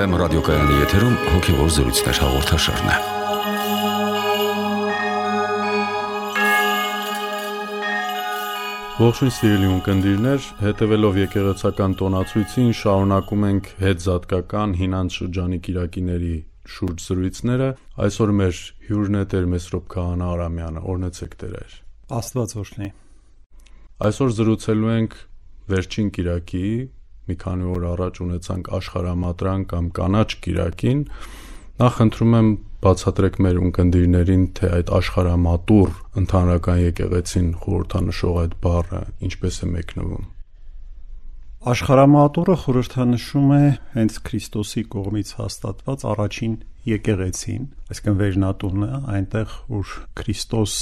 FM ռադիոկայանի եթերում հոգևոր զրույցներ հաղորդաշարն է։ Ողջույն սիրելի ունկնդիրներ, հետևելով եկեղեցական տոնացույցին շարունակում ենք հետզատկական հինանց շրջանի կիրակիների շուրջ զրույցները։ Այսօր մեր հյուրն է Տեր Մեսրոպ Քահանա Արամյանը, օրհնեցեք Տեր։ Աստված օրհնի։ Այսօր զրուցելու ենք վերջին կիրակի, մի քանի օր առաջ ունեցանք աշխարհամատրան կամ կանաչ կիրակին։ Նախ խնդրում եմ բացատրեք մեր ունկնդիրներին, թե այդ աշխարհամատուռ ընդհանրական եկեղեցին խորհրդանշող այդ բառը ինչպես է մեկնվում։ Աշխարհամատուռը խորհրդանշում է հենց Քրիստոսի կողմից հաստատված առաջին եկեղեցին, այսինքն վերնատունը, այնտեղ որ Քրիստոս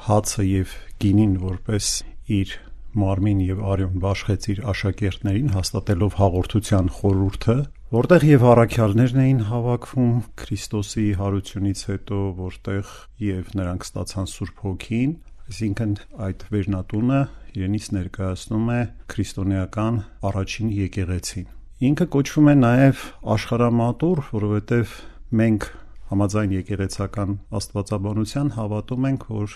հացը եւ գինին որպես իր մարմին եւ արյուն բաշխեց իր աշակերտներին հաստատելով հաղորդության խորհուրդը, որտեղ եւ առաքյալներն էին հավաքվում Քրիստոսի հարությունից հետո, որտեղ եւ նրանք ստացան Սուրբ Հոգին, այսինքն այդ վերնատունը իրենից ներկայացնում է քրիստոնեական առաջին եկեղեցին։ Ինքը կոչվում է նաեւ աշխարհամատուռ, որովհետեւ մենք համաձայն եկեղեցական աստվածաբանության հավատում ենք, որ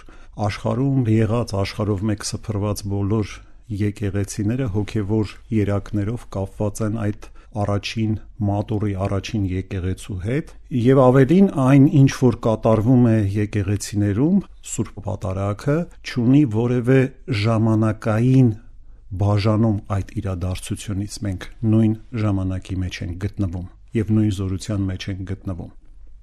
աշխարհում եղած աշխարհով մեկ սփռված բոլոր եկեղեցիները հոգևոր երակներով կապված են այդ առաջին մատուռի առաջին եկեղեցու հետ, եւ ավելին այն ինչ որ կատարվում է եկեղեցիներում, Սուրբ Պատարագը չունի որևէ ժամանակային բաժանում այդ իրադարձությունից, մենք նույն ժամանակի մեջ ենք գտնվում եւ նույն զորության մեջ ենք գտնվում։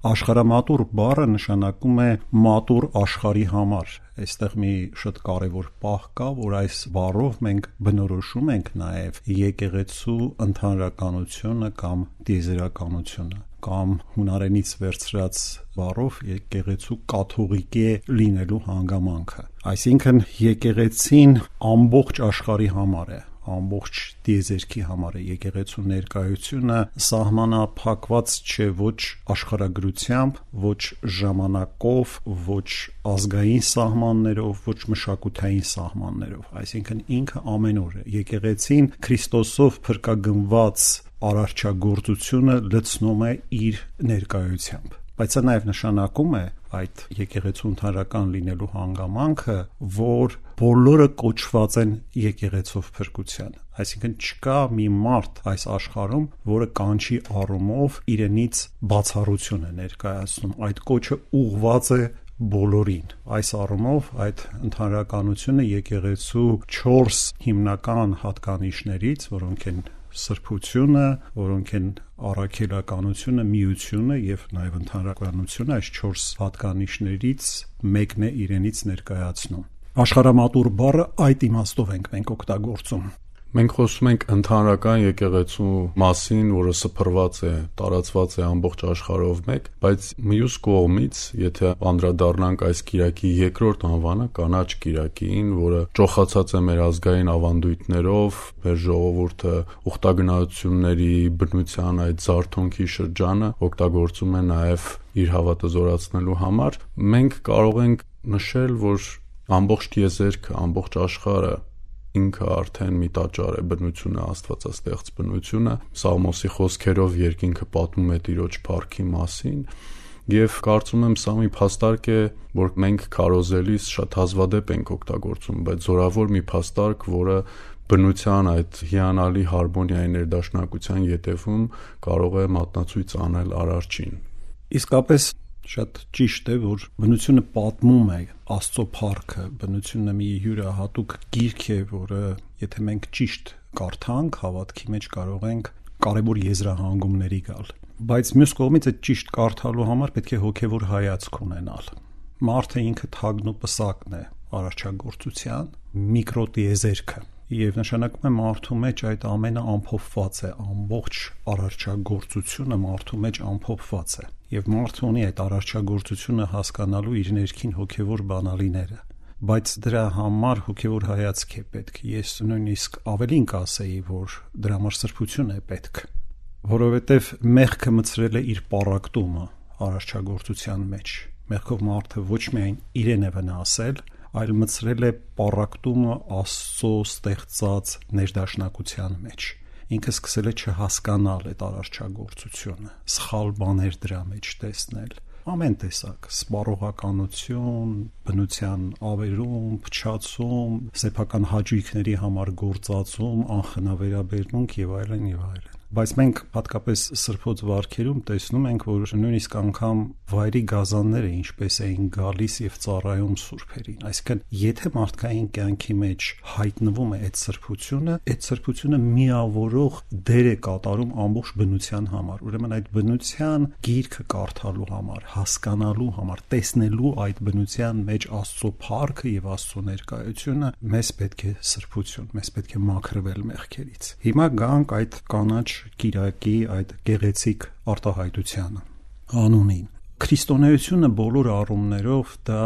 Աշխարհամատուռ բառը նշանակում է մատուռ աշխարհի համար։ Այստեղ մի շատ կարևոր պահ կա, որ այս բառով մենք բնորոշում ենք նաև եկեղեցու ընդհանրականությունը կամ տիեզերականությունը, կամ հունարենից վերցրած բառով եկեղեցու կաթողիկե լինելու հանգամանքը։ Այսինքն եկեղեցին ամբողջ աշխարհի համար է, ամբողջ տիեզերքի համար է։ Եկեղեցու ներկայությունը սահմանափակված չէ ոչ աշխարհագրությամբ, ոչ ժամանակով, ոչ ազգային սահմաններով, ոչ մշակութային սահմաններով, այսինքն ինքը ամենուր է։ Եկեղեցին Քրիստոսով փրկագնված արարչագործությունը լցնում է իր ներկայությամբ։ Բայց սա նաև նշանակում է այդ եկեղեցու ընդհանրական լինելու հանգամանքը, որ բոլորը կոչված են եկեղեցով փրկության։ Այսինքն չկա մի մարդ այս աշխարհում, որը կանչի առումով իրենից բացառություն է ներկայացնում։ Այդ կոչը ուղղված է բոլորին։ Այս առումով այդ ընդհանրականությունը եկեղեցու 4 հիմնական հատկանիշներից, որոնք են սրբությունը, որոնք են առաքելականությունը, միությունը եւ նաեւ ընդհանրականությունը, այս 4 հատկանիշներից մեկն է իրենից ներկայացնում։ Աշխարհամատուռ բառը այդ իմաստով ենք մենք օգտագործում։ Մենք խոսում ենք ընդհանրական եկեղեցու մասին, որը սփռված է, տարածված է ամբողջ աշխարհով մեկ, բայց մյուս կողմից, եթե անդրադառնանք այս կիրակի երկրորդ անվանը, կանաչ կիրակին, որը ճոխացած է մեր ազգային ավանդույթներով, մեր ժողովուրդը ուխտագնացությունների, բնության այդ զարթոնքի շրջանը օգտագործում է նաև իր հավատը զորացնելու համար, մենք կարող ենք նշել, որ ամբողջ տիեզերքը, ամբողջ աշխարհը ինքը արդեն մի տաճար է, բնությունը, աստվածաստեղծ բնությունը, Սաղմոսի խոսքերով երկինքը պատմում է Տիրոջ փառքի մասին, եւ կարծում եմ սա մի փաստարկ է, որ մենք քարոզելիս շատ հազվադեպ ենք օգտագործում, բայց զորավոր մի փաստարկ, որը բնության այդ հիանալի հարմոնիայի ներդաշնակության յետևում կարող է մատնացույց անել Արարչին։ Իսկապես շատ ճիշտ է, որ բնությունը պատմում է Աստծո փառքը, բնությունը մի յուրահատուկ գիրք է, որը եթե մենք ճիշտ կարդանք, հավատքի մեջ կարող ենք կարևոր եզրահանգումների գալ։ Բայց մյուս կողմից այդ ճիշտ կարդալու համար պետք է հոգևոր հայացք ունենալ։ Մարդը ինքը թագն ու պսակն է արարչագործության, միկրոտիեզերքը, եւ նշանակում է մարդու մեջ այդ ամենը ամփոփված է, ամբողջ արարչագործությունը մարդու մեջ ամփոփված է, եւ մարդը ունի այդ արարչագործությունը հասկանալու իր ներքին հոգևոր բանալիները, բայց դրա համար հոգևոր հայացք է պետք։ Ես նույնիսկ ավելին կասեի, որ դրա համար սրբություն է պետք, որովհետեւ մեղքը մցրել է իր պառակտումը արարչագործության մեջ։ Մեղքով մարդը ոչ միայն իրեն է վնասել, այլ մցրել է պառակտումը Աստծո ստեղծած ներդաշնակության մեջ։ ինքը սկսել է չհասկանալ այդ արարչագործությունը, սխալ բաներ դրա մեջ տեսնել, ամեն տեսակ սպառողականություն, բնության ավերում, փչացում, սեփական հաճույքների համար գործածում, անխնավերաբերմունք եւ այլն եւ այլն։ Բայց մենք հատկապես սրբոց վարքերում տեսնում ենք, որ նույնիսկ անգամ վայրի գազանները ինչպես էին գալիս եւ ծառայում սուրբերին։ Այսինքն, եթե մարդկային կյանքի մեջ հայտնվում է այդ սրբությունը միավորող դեր է կատարում ամբողջ բնության համար։ Ուրեմն այդ բնության գիրքը կարդալու համար, հասկանալու համար, տեսնելու այդ բնության մեջ Աստծո փառքը եւ Աստծո ներկայությունը մեզ պետք է սրբություն, մեզ պետք է մաքրվել մեղքերից։ Հիմա գանք այդ կանաչ Կիրակի այդ գեղեցիկ արտահայտությանը անունին։ Քրիստոնեությունը բոլոր առումներով դա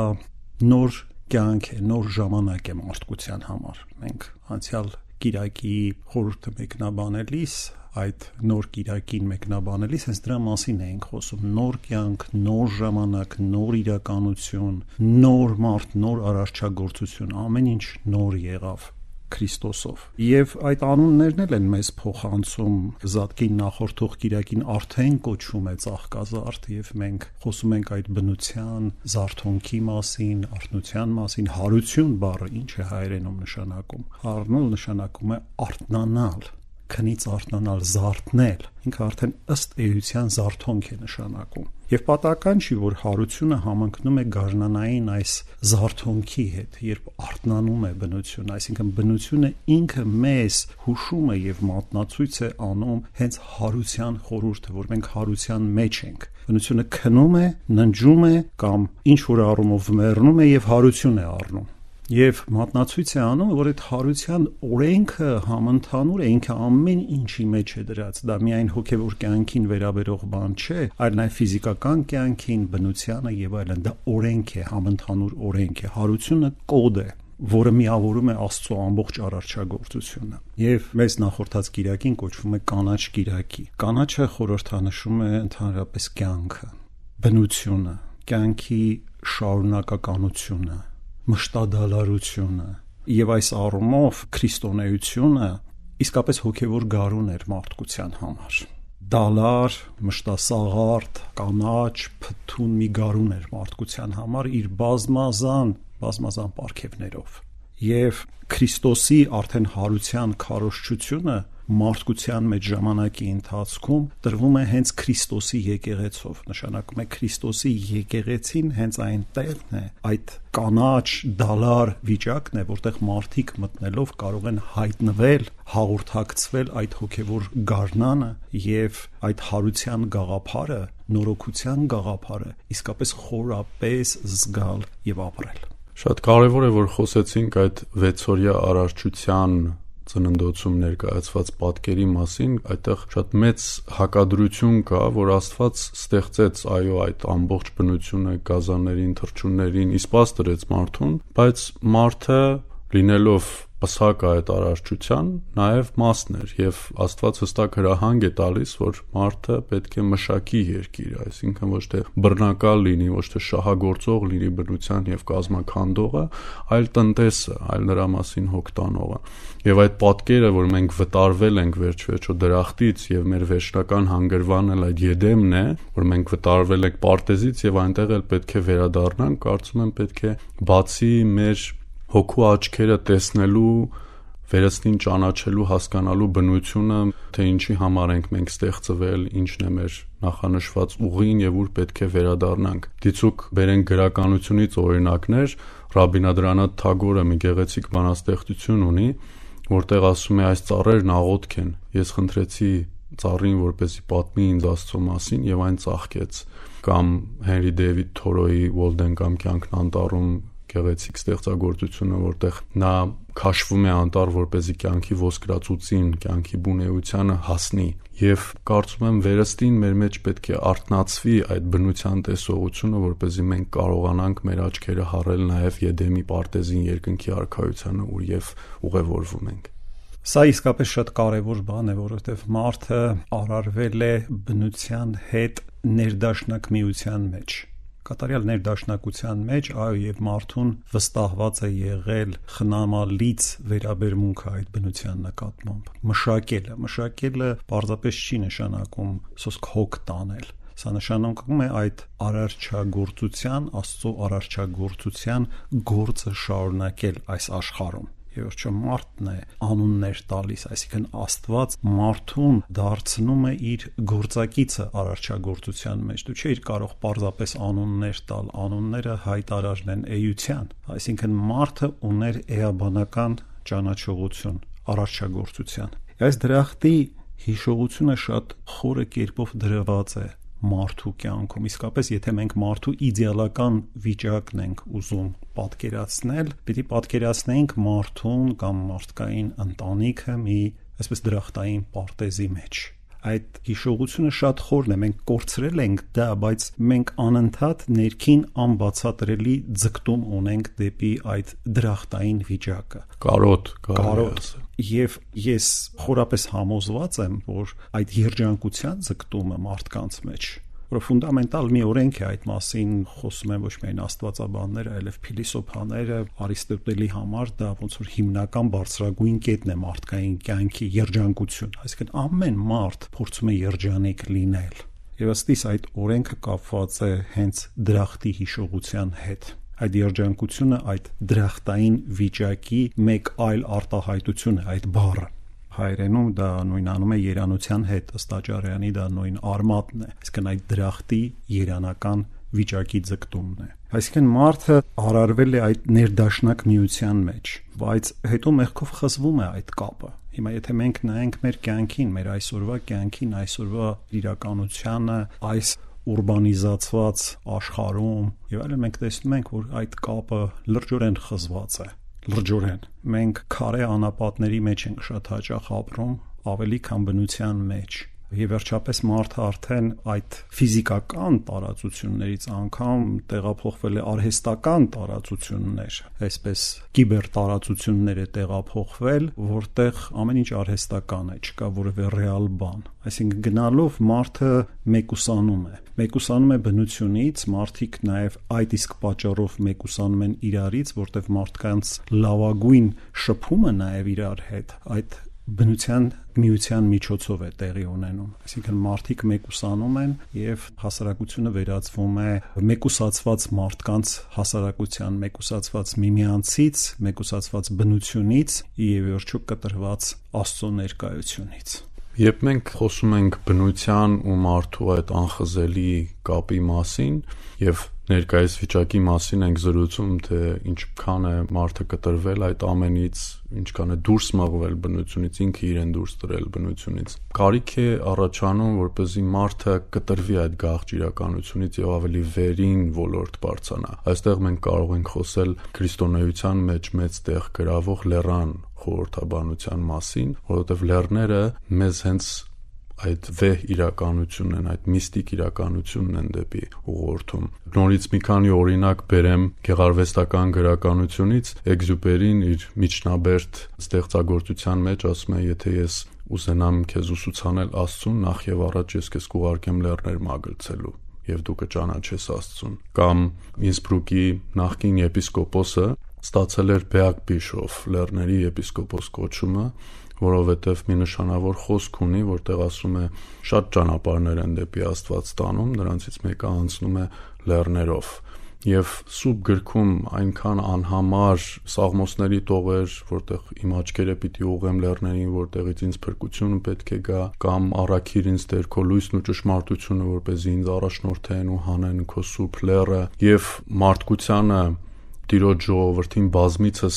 նոր կյանք է, նոր ժամանակ է մարդկության համար։ Մենք անցյալ Կիրակի խորհուրդը մեկնաբանելիս, այդ նոր Կիրակին մեկնաբանելիս հենց դրա մասին էինք խոսում՝ նոր կյանք, նոր ժամանակ, նոր իրականություն, նոր մարդ, նոր արարչագործություն, ամեն ինչ նոր եղավ Քրիստոսով։ Եվ այդ անուններն էլ են մեզ փոխանցում Զատկին նախորդող Կիրակին արդեն կոչվում է ծաղկազարդ, եւ մենք խոսում ենք այդ բնության զարթոնքի մասին, արթնության մասին։ Հարություն բառը ինչ է հայերենում նշանակում։ Հարնալ նշանակում է արթնանալ, քնից արթնանալ, զարթնել։ Ինքը արդեն ըստ էության զարթոնք է նշանակում։ Եվ պատահական չի, որ հարությունը համընկնում է գարնանային այս զարթոնքի հետ, երբ արթնանում է բնությունը, այսինքն բնությունը ինքը մեզ հուշում է եւ մատնացույց է անում հենց հարության խորհուրդը, որ մենք հարության մեջ ենք։ Բնությունը քնում է, ննջում է կամ ինչ որ առումով մեռնում է եւ հարություն է առնում։ Եվ մատնացույց է անում, որ այդ հարության օրենքը համընդհանուր է, ինքը ամեն ինչի մեջ է դրած։ Դա միայն հոգևոր կյանքին վերաբերող բան չէ, այլ նաև ֆիզիկական կյանքին, բնությանը եւ այլն։ Դա օրենք է, համընդհանուր օրենք է։ Հարությունը կոդ է, որը միավորում է Աստծո ամբողջ արարչագործությունը։ Եվ մեզ նախորդած Կիրակին կոչվում է կանաչ Կիրակի։ Կանաչը խորհրդանշում է ընդհանրապես կյանքը, բնությունը, կյանքի շարունակականությունը, մշտադալարությունը եւ այս առումով քրիստոնեությունը իսկապես հոգևոր գարուն էր մարդկության համար։ Դալար, մշտասաղարդ, կանաչ, փթուն մի գարուն էր մարդկության համար իր բազմազան պարգևներով։ Եվ Քրիստոսի արդեն հարության քարոզչությունը մարդկության մեջ ժամանակի ընթացքում տրվում է հենց Քրիստոսի եկեղեցով, նշանակում է Քրիստոսի եկեղեցին հենց այնտեղն է, այդ կանաչ դալար վիճակն է, որտեղ մարդիկ մտնելով կարող են հայտնվել, հաղորդակցվել այդ հոգևոր գարնանը եւ այդ հարության գաղափարը, նորոգության գաղափարը իսկապես խորապես զգալ եւ ապրել։ Շատ կարևոր է, որ խոսեցինք այդ վեցօրյա արարչության ծննդոցում ներկայացված պատկերի մասին, այդտեղ շատ մեծ հակադրություն կա, որ Աստված ստեղծեց այդ ամբողջ բնությունը, գազաններին, թռչուններին, իսպաս դրեց մարդուն, բայց մարդը լինելով պսակ այդ արարչության, նաև մասն էր, եւ Աստված հստակ հրահանգ է տալիս, որ մարդը պետք է մշակի երկիրը, այսինքն ոչ թե բռնակալ լինի, ոչ թե շահագործող լինի բնության եւ կազմաքանդողը, այլ տնտեսը, այլ նրա մասին հոգ տանողը։ Եվ այդ պատկերը, որ մենք վտարվել ենք վերջ-վերջո դրախտից եւ մեր վերջնական հանգրվանն էլ այդ Եդեմն է, որ մենք վտարվել ենք պարտեզից եւ այնտեղ էլ պետք է վերադառնանք, կարծում եմ պետք է բացի մեր հոգու աչքերը տեսնելու, վերստին ճանաչելու, հասկանալու բնությունը, թե ինչի համար ենք մենք ստեղծվել, ինչն է մեր նախանշված ուղին եւ ուր պետք է վերադառնանք։ Դիցուք բերենք գրականությունից օրինակներ, Ռաբինադրանաթ Թագորը մի գեղեցիկ բանաստեղծություն ունի, որտեղ ասում է այս ծառերն աղոթք են։ Ես խնդրեցի ծառին, որպեսզի պատմի ինձ Աստծո մասին եւ այն ծաղկեց։ Կամ Հենրի Դեյվիդ Թորոյի Walden կյանքն անտառում գեղեցիկ ստեղծագործությունը, որտեղ նա քաշվում է անտառ, որպեսզի կյանքի ոսկրածուծին, կյանքի բունեությանը հասնի։ Եվ կարծում եմ վերստին մեր մեջ պետք է արթնացվի այդ բնության տեսողությունը, որպեսզի մենք կարողանանք մեր աչքերը հառել նաև Եդեմի պարտեզին, երկնքի արքայությանը, ուր եւ ուղևորվում ենք։ Սա իսկապես շատ կարևոր բան է, որովհետև մարդը արարվել է բնության հետ ներդաշնակ միության մեջ։ կատարյալ ներդաշնակության մեջ, այո, եւ մարդուն վստահված է եղել խնամալից վերաբերմունքը այդ բնության նկատմամբ։ Մշակելը պարզապես չի նշանակում սոսկ հոգ տանել։ Սա նշանակում է այդ արարչագործության, Աստծո արարչագործության գործը շարունակել այս աշխարհում։ Եվ ոչ մարդն է անուններ տալիս, այսինքն Աստված մարդուն դարձնում է իր գործակիցը արարչագործության մեջ։ Դու չէիր կարող պարզապես անուններ տալ, անունները հայտարարն են էության, այսինքն մարդը ուներ էաբանական ճանաչողություն արարչագործության։ Այս դրախտի հիշողությունը շատ խորը կերպով դրված է մարդու կյանքում։ Իսկապես, եթե մենք մարդու իդեալական վիճակն ենք ուզում պատկերացնել, պիտի պատկերացնենք մարդուն կամ մարդկային ընտանիքը մի այսպես դրախտային պարտեզի մեջ։ Այդ հիշողությունը շատ խորն է, մենք կորցրել ենք դա, բայց մենք անընդհատ ներքին անբացատրելի ձգտում ունենք դեպի այդ դրախտային վիճակը։ Կարոտ։ Եվ ես խորապես համոզված եմ, որ այդ երջանկության ձգտումը մարդկանց մեջ, որը ֆունդամենտալ մի օրենք է, այդ մասին խոսում են ոչ միայն աստվածաբանները, այլև փիլիսոփաները, Արիստոտելի համար դա ոնց որ հիմնական բարձրագույն կետն է մարդկային կյանքի երջանկություն, այսինքն ամեն մարդ փորձում է երջանիկ լինել։ Եվ ըստիս այդ օրենքը կապված է հենց դրախտի հիշողության հետ։ Այդ երջանկությունը այդ դրախտային վիճակի մեկ այլ արտահայտություն է, այդ բառը։ Հայերենում դա նույնանում է երանության հետ, ըստ Աճարյանի դա նույն արմատն է, այսինքն այդ դրախտի երանական վիճակի ձգտումն է։ Այսինքն մարդը արարվել է այդ ներդաշնակ միության մեջ, բայց հետո մեղքով խզվում է այդ կապը։ Հիմա եթե մենք նայենք մեր կյանքին, մեր այսօրվա կյանքին, այսօրվա իրականությանը, այս ուրբանիզացված աշխարհում եւ այլն, մենք տեսնում ենք, որ այդ կապը լրջորեն խզված է։ Մենք քարե անապատների մեջ ենք շատ հաճախ ապրում, ավելի քան բնության մեջ։ Եվ վերջապես մարդը արդեն այդ ֆիզիկական տարածություններից անգամ տեղափոխվել է արհեստական տարածություններ, այսպես կիբեր տարածություններ է տեղափոխվել, որտեղ ամեն ինչ արհեստական է, չկա որևէ ռեալ բան։ Այսինքն գնալով մարդը մեկուսանում է բնությունից, մարդիկ նաև այդ իսկ պատճառով մեկուսանում են իրարից, որտեղ մարդկանց լավագույն շփումը նաև իրար հետ այդ բնության միության միջոցով է տեղի ունենում։ Այսինքն մարդիկ մեկուսանում են եւ հասարակությունը վերածվում է մեկուսացված մարդկանց հասարակության, մեկուսացված միմյանցից, մեկուսացված բնությունից եւ վերջո կտրված Աստծո ներկայությունից։ Երբ մենք խոսում ենք բնության ու մարդու այդ անխզելի կապի մասին եւ ներկայիս վիճակի մասին ենք զրուցում, թե ինչքան է մարդը կտրվել այդ ամենից, ինչքան է դուրս մղվել բնությունից, ինքը իրեն դուրս տրել բնությունից։ Կարիք է առաջանում, որպեսզի մարդը կտրվի այդ գաղճ իրականությունից եւ ավելի վերին ոլորտ բարձրանա։ Այստեղ մենք կարող ենք խոսել քրիստոնեության մեջ մեծ տեղ գրավող լեռան խորհրդաբանության մասին, որովհետեւ լեռները մեզ հենց այդ վեհ իրականությունն են, այդ միստիկ իրականությունն են դեպի ուղղորդում։ Նորից մի քանի օրինակ բերեմ գեղարվեստական գրականությունից։ Էքզյուպերին իր միջնաբերդ ստեղծագործության մեջ ասում է, եթե ես ուզենամ քեզ ուսուցանել Աստծուն, նախ եւ առաջ ես քեզ կուղարկեմ լեռներ մագլցելու եւ դու կճանաչես Աստծուն։ Կամ Ինսբրուկի նախկին եպիսկոպոսը ստացել էր Բեակ Բիշոֆ, լեռների եպիսկոպոս կոչումը, որովհետև մի նշանավոր խոսք ունի, որտեղ ասում է շատ ճանապարհներ են դեպի Աստված տանում, նրանցից մեկը անցնում է լեռներով։ Եվ սուրբ գրքում այնքան անհամար սաղմոսների տողեր, որտեղ իմ աչքերը պիտի ուղղեմ լեռներին, որտեղից ինձ փրկությունը պետք է գա, կամ առաքիր ինձ Տեր քո լույսն ու ճշմարտությունը, որպեսզի ինձ առաջնորդեն ու հանեն քո սուրբ լեռը, եւ մարդկությանը Տիրոջ ժողովրդին բազմիցս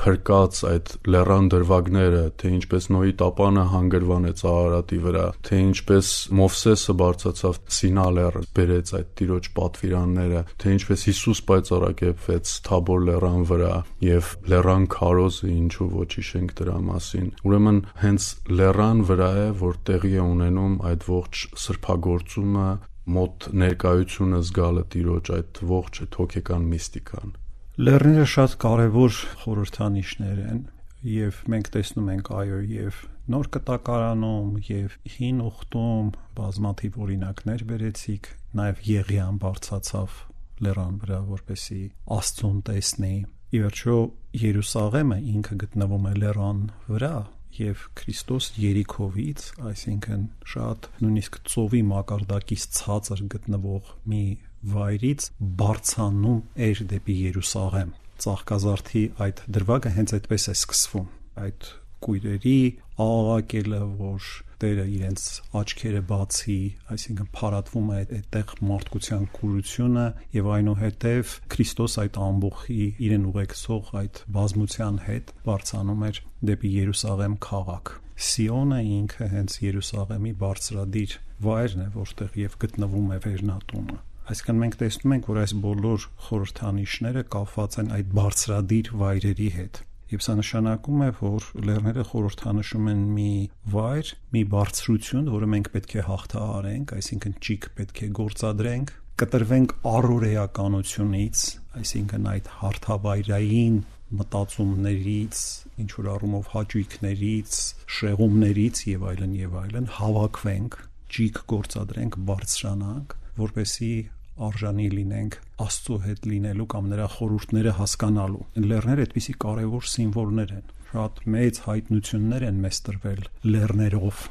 փրկած այդ լեռան դրվագները, թե ինչպես Նոյի տապանը հանգրվանեց Արարատի վրա, թե ինչպես Մովսեսը բարձրացավ Սինա լեռը, բերեց այդ Տիրոջ պատվիրանները, թե ինչպես Հիսուս պայծառակերպվեց Թաբոր լեռան վրա եւ լեռան քարոզը, ինչու ոչ հիշենք դրա մասին։ Ուրեմն հենց լեռան վրա է, որ տեղի է ունենում այդ ողջ սրբագործումը, մոտ ներկայությունը զգալը Տիրոջ, այդ ողջ հոգեկան միստիկան։ Լեռները շատ կարևոր խորհրդանիշներ են եւ մենք տեսնում ենք այո եւ նոր կտակարանում եւ հին ուխտում բազմաթիվ օրինակներ բերեցիք, նաեւ Եղիան բարձացավ լեռան վրա, որպեսզի Աստծուն տեսնի։ Ի վերջո Երուսաղեմը ինքը գտնվում է լեռան վրա, եւ Քրիստոս Երիքովից, այսինքն շատ նույնիսկ ծովի մակարդակից ցածր գտնվող մի վայրից բարձանում էր դեպի Երուսաղեմ։ Ծաղկազարդի այդ դրվագը հենց այդպես է սկսվում, այդ կույրերի աղաղակելը, որ Տերը իրենց աչքերը բացի, այսինքն փարատվում է այդտեղ մարդկության կուրությունը եւ այնուհետեւ Քրիստոս այդ ամբողջի իրեն ուղեկցող այդ բազմության հետ բարձանում էր դեպի Երուսաղեմ քաղաք։ Սիոնը ինքը հենց Երուսաղեմի բարձրադիր վայրն է, որտեղ եւ գտնվում է վերնատունը։ Այսինքն մենք տեսնում ենք, որ այս բոլոր խորհրդանիշները կապված են այդ բարձրադիր վայրերի հետ։ Եվ սա նշանակում է, որ լեռները խորհրդանշում են մի վայր, մի բարձրություն, որը մենք պետք է հաղթահարենք, այսինքն ճիգ պետք է գործադրենք, կտրվենք առօրեականությունից, այսինքն այդ հարթավայրային մտածումներից, ինչ որ առումով հաճույքներից, շեղումներից եւ այլն, հավաքվենք, ճիգ գործադրենք, բարձրանանք, որպեսզի արժանի լինենք Աստծո հետ լինելու կամ նրա խորհուրդները հասկանալու։ Լեռները այդպիսի կարևոր սիմվոլներ են։ Շատ մեծ հայտնություններ են մեզ տրվել լեռներով։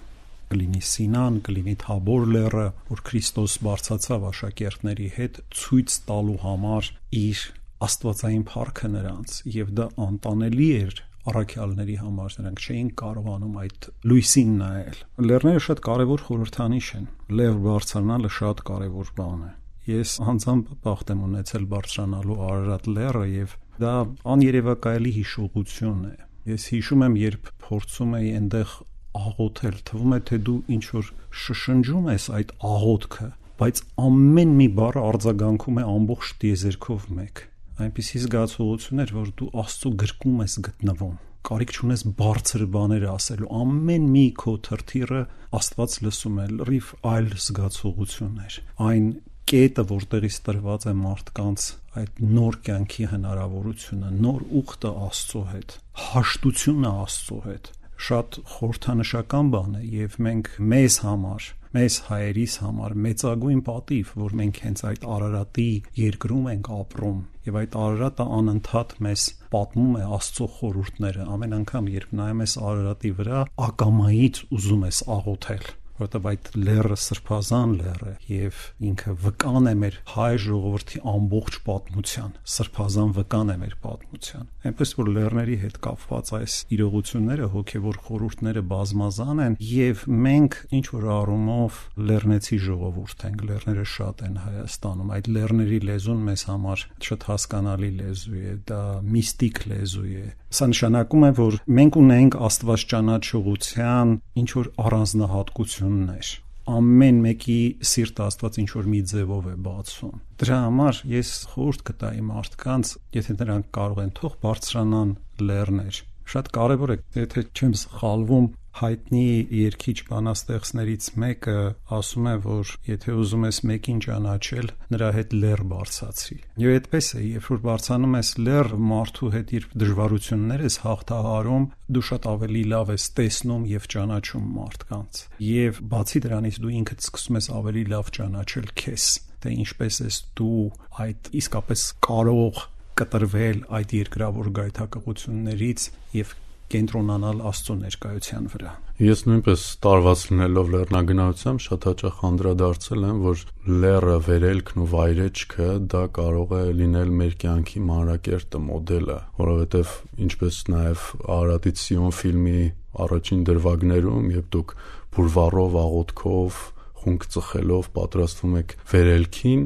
Կլինի Սինան, կլինի Թաբոր լեռը, որ Քրիստոս բարձրացավ աշակերտների հետ ցույց տալու համար իր աստվածային փառքը նրանց, եւ դա անտանելի էր առաքյալների համար, նրանք չէին կարողանում այդ լույսին նայել։ Լեռները շատ կարևոր խորհրդանիշ են։ Լեռ բարձրանալը շատ կարևոր բան է։ Ես անձամբ բախտ եմ ունեցել բարձրանալու Արարատ լեռը եւ դա աներևակայելի հիշողություն է։ Ես հիշում եմ, երբ փորձում էի այնտեղ աղոթել, թվում է թե դու ինչ որ շշնջում ես այդ աղոթքը, բայց ամեն մի բառը արձագանքում է ամբողջ տիեզերքով մեկ։ Այնպիսի զգացողություն էր, որ դու Աստծո գրկում ես գտնվում։ Կարիք չունես բարձր բաներ ասելու, ամեն մի քո թրթիռը Աստված լսում է, լրիվ այլ զգացողություններ։ Այն կետը, որտեղից տրված է մարդկանց այդ նոր կյանքի հնարավորությունը, նոր ուխտը Աստծո հետ, հաշտությունը Աստծո հետ, շատ խորհրդանշական բան է եւ մենք մեզ համար, մեզ հայերիս համար մեծագույն պատիվ, որ մենք հենց այդ Արարատի երկրում ենք ապրում եւ այդ Արարատը անընդհատ մեզ պատմում է Աստծո խորհուրդները։ Ամեն անգամ, երբ նայում ես Արարատի վրա, ակամայից ուզում ես աղոթել, որտեղ այդ լեռը սրբազան լեռ է եւ ինքը վկան է մեր հայ ժողովրդի ամբողջ պատմության, սրբազան վկան է մեր պատմության։ Այնպես որ լեռների հետ կապված այս իրողությունները, հոգեվոր խորհուրդները բազմազան են եւ մենք ինչ որ առումով լեռնեցի ժողովուրդ ենք, լեռները շատ են Հայաստանում, այդ լեռների լեզուն մեզ համար շատ հասկանալի լեզու է, դա միստիկ լեզու է։ Սա նշանակում է, որ մենք ունենք Աստված ճանաչողության ինչ որ առանձնահատկություններ։ Ամեն մեկի սիրտը Աստված ինչ որ մի ձևով է բացում։ Դրա համար ես խորհուրդ կտայի մարդկանց, եթե նրանք կարող են, թող բարձրանան լեռներ։ Շատ կարևոր է, եթե չեմ սխալվում, հայտնի երգիչ բանաստեղծներից մեկը ասում է, որ եթե ուզում ես մեկին ճանաչել, նրա հետ լեռ բարձացրի։ Եվ այդպես է, երբ որ բարձանում ես լեռ, մարդու հետ իր դժվարությունները ես հաղթահարում, դու շատ ավելի լավ ես տեսնում եւ ճանաչում մարդկանց։ Եվ բացի դրանից դու ինքդ սկսում ես ավելի լավ ճանաչել քեզ, թե ինչպես ես դու այդ իսկապես կարող կտրվել այդ երկրավոր գայթակղություններից եւ կենտրոնանալ Աստծո ներկայության վրա։ Ես նույնպես տարված լինելով լեռնագնացությամբ շատ հաճախ անդրադարձել եմ, որ լեռը, վերելքն ու վայրեջքը դա կարող է լինել մեր կյանքի մանրակերտը, մոդելը, որովհետև ինչպես նաև Արարատից Սիոն ֆիլմի առաջին դրվագներում, երբ դուք բուրվառով, աղոթքով, խունկ ծխելով պատրաստվում եք վերելքին,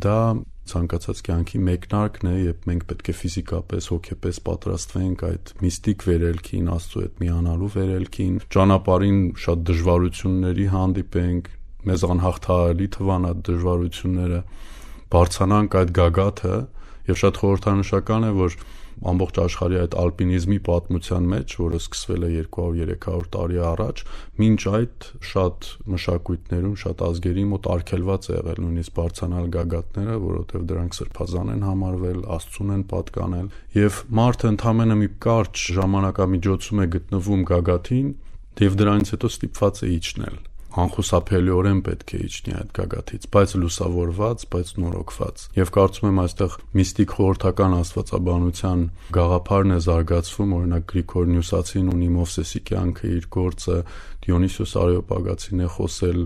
դա ցանկացած կյանքի մեկնարկն է, երբ մենք պետք է ֆիզիկապես, հոգեպես պատրաստվենք այդ միստիկ վերելքին, Աստծո հետ միանալու վերելքին, ճանապարհին շատ դժվարությունների հանդիպենք, մեզ անհաղթահարելի թվան այդ դժվարությունները, բարձրանանք այդ գագաթը, եւ շատ խորհրդանշական է, որ ամբողջ աշխարհի այդ ալպինիզմի պատմության մեջ, որը սկսվել է 200-300 տարի առաջ, մինչ այդ շատ մշակույթներում, շատ ազգերի մոտ արգելված է եղել նույնիսկ բարձրանալ գագաթները, որովհետև դրանք սրբազան են համարվել, Աստծուն են պատկանել, եւ մարդը ընդամենը մի կարճ ժամանակամիջոցում է գտնվում գագաթին, եւ դրանից հետո ստիպված է իջնել։ անխուսափելիորեն պետք է իջնի այդ գագաթից, բայց լուսավորված, բայց նորոգված։ Եվ կարծում եմ այստեղ միստիկ խորհրդական աստվածաբանության գաղափարն է զարգացվում, օրինակ Գրիգոր Նյուսացին ունի Մովսեսի կյանքը, իր գործը, Դիոնիսիոս Արեոպագացին է խոսել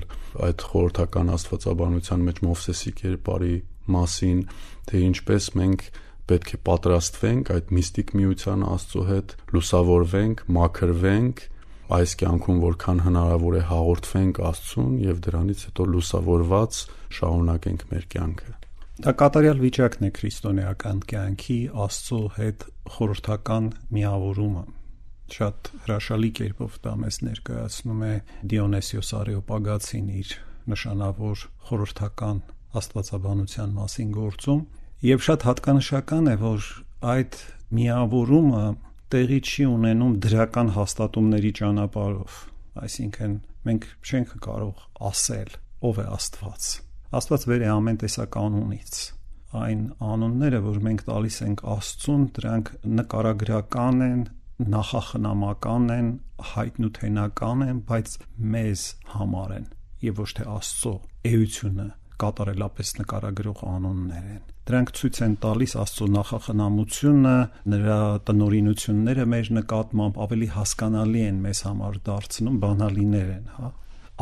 այդ խորհրդական աստվածաբանության մեջ Մովսեսի կերպարի մասին, թե ինչպես մենք պետք է պատրաստվենք այդ միստիկ միության Աստծո հետ, լուսավորվենք, մաքրվենք, այս կյանքում որքան հնարավոր է հաղորդվենք Աստծուն եւ դրանից հետո լուսավորված շարունակենք մեր կյանքը։ Դա կատարյալ վիճակն է քրիստոնեական կյանքի Աստծո հետ խորհրդական միավորումը։ Շատ հրաշալի կերպով դա մեզ ներկայացնում է Դիոնիսիոս Արեոպագացին իր նշանավոր խորհրդական աստվածաբանության մասին գործում, եւ շատ հատկանշական է, որ այդ միավորումը տեղի չի ունենում դրական հաստատումների ճանապարհով, այսինքն մենք չենք կարող ասել ով է Աստված։ Աստված վեր է ամեն տեսակ անունից։ Այն անունները, որ մենք տալիս ենք Աստծուն, դրանք նկարագրական են, նախախնամական են, հայտնութենական են, բայց մեզ համար են եւ ոչ թե Աստծո էությունը կատարելապես նկարագրող անուններ են։ Դրանք ցույց են տալիս Աստծո նախախնամությունը, նրա տնօրինությունները մեր նկատմամբ ավելի հասկանալի են մեզ համար դարձնում, բանալիներ են,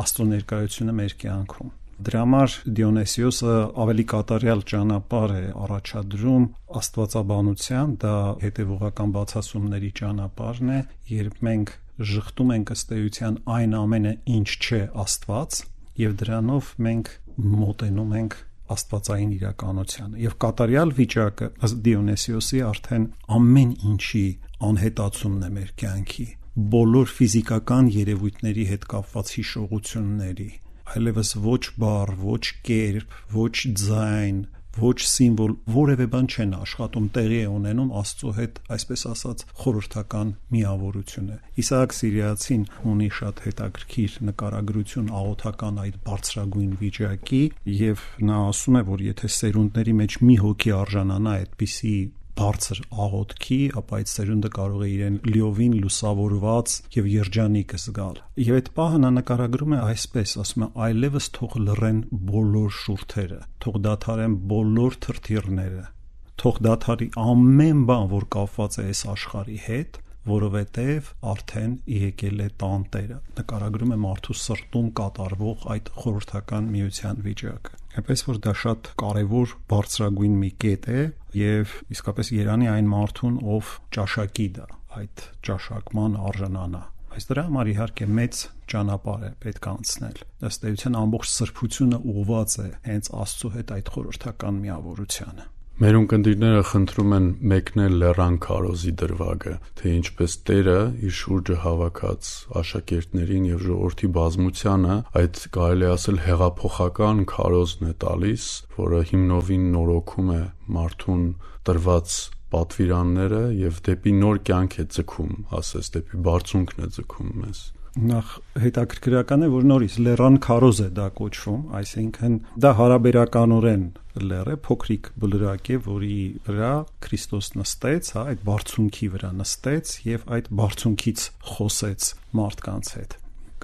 Աստծո ներկայությունը մեր կյանքում։ Դրա համար Դիոնիսիոսը ավելի կատարյալ ճանապարհ է առաջադրում աստվածաբանության, դա հետևողական բացասումների ճանապարհն է, երբ մենք ժխտում ենք ըստ էության այն ամենը, ինչ չէ Աստված, եւ դրանով մենք մոտենում ենք աստվածային իրականությանը եւ կատարյալ վիճակը ըստ Դիոնիսիոսի արդեն ամեն ինչի անհետացումն է մեր կյանքի, բոլոր ֆիզիկական երևույթների հետ կապված հիշողությունների, այլևս ոչ բառ, ոչ կերպ, ոչ ձայն, ոչ սիմվոլ, որևէ բան չեն աշխատում, տեղի է ունենում Աստծո հետ, այսպես ասած, խորհրդական միավորությունը։ Իսահակ Սիրիացին ունի շատ հետաքրքիր նկարագրություն աղոթական այդ բարձրագույն վիճակի, եւ նա ասում է, որ եթե սերունդների մեջ մի հոգի արժանանա այդպիսի բարձր աղոթքի, ապա այդ սերունդը կարող է իրեն լիովին լուսավորված եւ երջանիկ զգալ։ Եվ այդ պահը նա նկարագրում է այսպես, ասում է, այլևս թող լռեն բոլոր շուրթերը, թող դադարեն բոլոր թրթիռները, թող դադարի ամեն բան, որ կապված է այս աշխարհի հետ, որովհետև արդեն եկել է տանտերը։ Նկարագրում է մարդու սրտում կատարվող այդ խորհրդական միության վիճակը։ Այնպես որ դա շատ կարևոր բարձրագույն մի կետ է եւ իսկապես երանի այն մարդուն, ով ճաշակի դա, այդ ճաշակման արժանանա։ Այս դրա համար իհարկե մեծ ճանապարհ է պետք անցնել։ Ըստ էության ամբողջ սրբությունը ուղղված է հենց Աստծո հետ այդ խորհրդական միավորությանը։ Մեր ունկնդիրները խնդրում են մեկնել լեռան քարոզի դրվագը, թե ինչպես Տերը իր շուրջը հավաքած աշակերտներին եւ ժողովրդի բազմությանը այդ կարելի ասել հեղափոխական քարոզն է տալիս, որը հիմնովին նորոգում է մարդուն տրված պատվիրանները եւ դեպի նոր կյանք է ձգում, ասես դեպի բարձունքն է ձգում մեզ։ Նախ հետաքրքրական է, որ նորից լեռան քարոզ է դա կոչվում, այսինքն դա հարաբերականորեն լեռ է, փոքրիկ բլրակ է, որի վրա Քրիստոս նստեց, այդ բարձունքի վրա նստեց եւ այդ բարձունքից խոսեց մարդկանց հետ։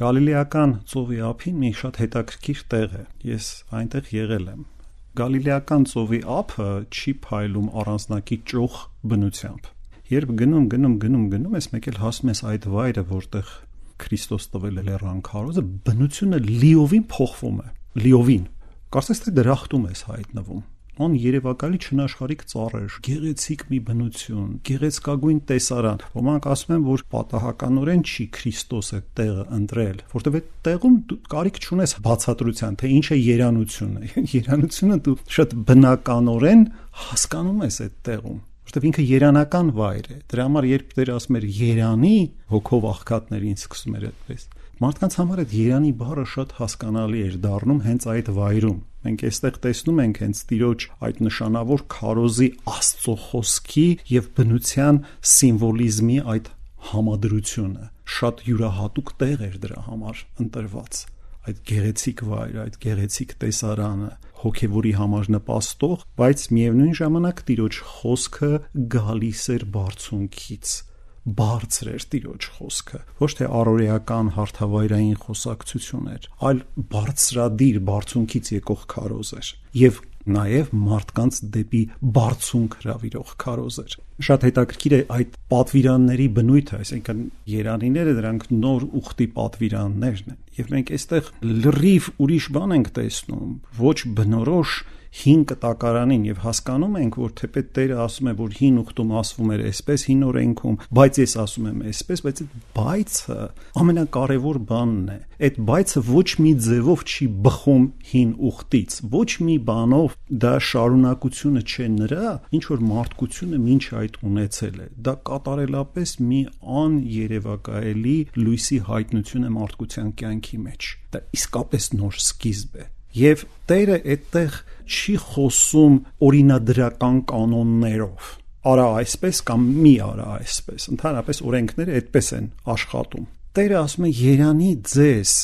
Գալիլեական ծովի ափին մի շատ հետաքրքիր տեղ է։ Ես այնտեղ եղել եմ։ Գալիլեական ծովի ափը չի փայլում առանձնակի ճոխ բնությամբ։ Երբ գնում ես, մեկ էլ հասնում ես այդ վայրը, որտեղ Քրիստոս տվել է լեռան քարոզը, բնությունը լիովին փոխվում է, լիովին։ Կարծես թե դրախտում ես հայտնվում։ Ան երևակալի չնաշխարհիկ ծառեր, գեղեցիկ մի բնություն, գեղեցկագույն տեսարան։ Ոմանք ասում են, որ պատահականորեն չի Քրիստոսը տեղը ընտրել, որտեղ այդ տեղում դու կարիք չունես բացատրության, թե ինչ է երանությունը։ Երանությունը դու շատ բնականորեն հասկանում ես այդ տեղում։ Որտեւ ինքը երանական վայր է։ Դրա համար երբ Տերը ասում էր երանի, հոգով աղքատներին սկսում էր այդպես։ Մարդկանց համար այդ երանի բառը շատ հասկանալի էր դառնում հենց այդ վայրում։ Մենք այստեղ տեսնում ենք հենց Տիրոջ այդ նշանավոր քարոզի Աստծո խոսքի եւ բնության սիմվոլիզմի այդ համադրությունը։ Շատ յուրահատուկ տեղ էր դրա համար ընտրված։ Այդ գեղեցիկ վայրը, այդ գեղեցիկ տեսարանը, հոգևորի համար նպաստող, բայց միևնույն ժամանակ Տիրոջ խոսքը գալիս էր բարձունքից, բարձր էր Տիրոջ խոսքը, ոչ թե առօրեական հարթավայրային խոսակցություն էր, այլ բարձրադիր բարձունքից եկող քարոզ էր եւ նաև մարդկանց դեպի բարձունք հրավիրող քարոզ էր։ Շատ հետաքրքիր է այդ պատվիրանների բնույթը, այսինքն երանիները դրանք նոր ուխտի պատվիրաններն են, եւ մենք այստեղ լրիվ ուրիշ բան ենք տեսնում, ոչ բնորոշ հին կտակարանին եւ հասկանում ենք, որ թեպետ Տերը ասում է, որ հին ուխտում ասվում էր այսպես, հին օրենքում, բայց ես ասում եմ այսպես, բայց այդ բայցը ամենակարևոր բանն է։ Այդ բայցը ոչ մի ձևով չի բխում հին ուխտից, ոչ մի բանով դա շարունակությունը չէ նրա, ինչ որ մարդկությունը մինչ այդ ունեցել է։ Դա կատարելապես մի աներևակայելի լույսի հայտնություն է մարդկության կյանքի մեջ։ Դա իսկապես նոր սկիզբ է։ Եվ Տերը այդտեղ չի խոսում օրինադրական կանոններով։ Արա այսպես կամ մի արա այսպես։ Ընդհանրապես օրենքները այդպես են աշխատում։ Տերը ասում է երանի ձեզ,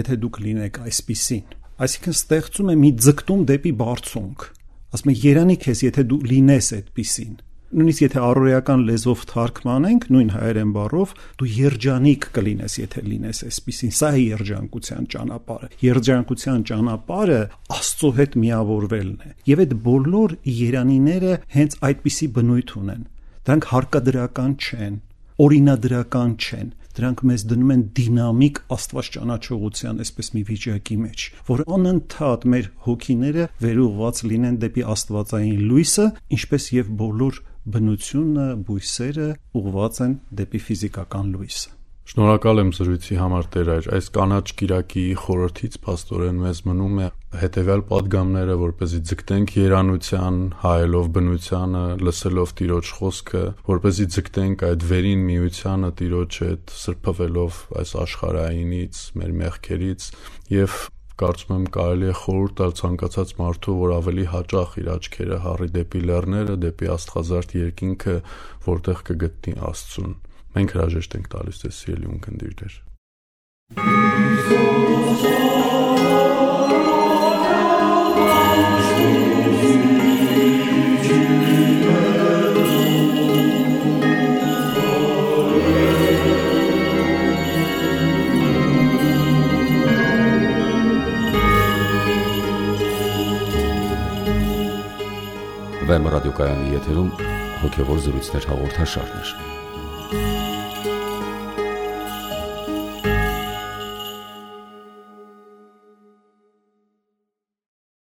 եթե դուք լինեք այսպիսին։ Այսինքն ստեղծում է մի ձգտում դեպի բարձունք։ Ասում է երանի քեզ, եթե դու լինես այդպիսին։ Նույնիսկ եթե առօրեական լեզվով թարգմանենք, նույն հայերեն բառով, դու երջանիկ կլինես, եթե լինես այսպիսին։ Սա է երջանկության ճանապարհը։ Երջանկության ճանապարհը Աստծո հետ միավորվելն է։ Եվ այդ բոլոր երանիները հենց այդպիսի բնույթ ունեն։ Դրանք հարկադրական չեն, օրինադրական չեն։ Դրանք մեզ դնում են դինամիկ Աստված ճանաչողության այսպես մի վիճակի մեջ, որ անընդհատ մեր հոգիները վերուղված լինեն դեպի աստվածային լույսը, ինչպես եւ բոլոր բնությունը, բույսերը ուղղված են դեպի ֆիզիկական լույսը։ Շնորհակալ եմ զրույցի համար Տեր, այս կանաչ կիրակի խորհրդից փաստորեն մեզ մնում է հետևյալ падգամները, որպեսզի ձգտենք երանության, հայելով բնությանը, լսելով Տիրոջ խոսքը, որպեսզի ձգտենք այդ վերին միությանը Տիրոջ հետ, սրբվելով այս աշխարհայինից, մեր մեղքերից եւ կարծում եմ կարելի է խորհուրդ տալ ցանկացած մարդու, որ ավելի հաճախ իր աչքերը հառի դեպի լեռները, դեպի աստղազարդ երկինքը, որտեղ կգտնի Աստծուն։ Մենք հրաժեշտ ենք տալիս ձեզ սիրելի ունկնդիր Տեր։ Վեմ ռադիոկայանի եթերում հոգևոր զրույցներ հաղորդաշարներ։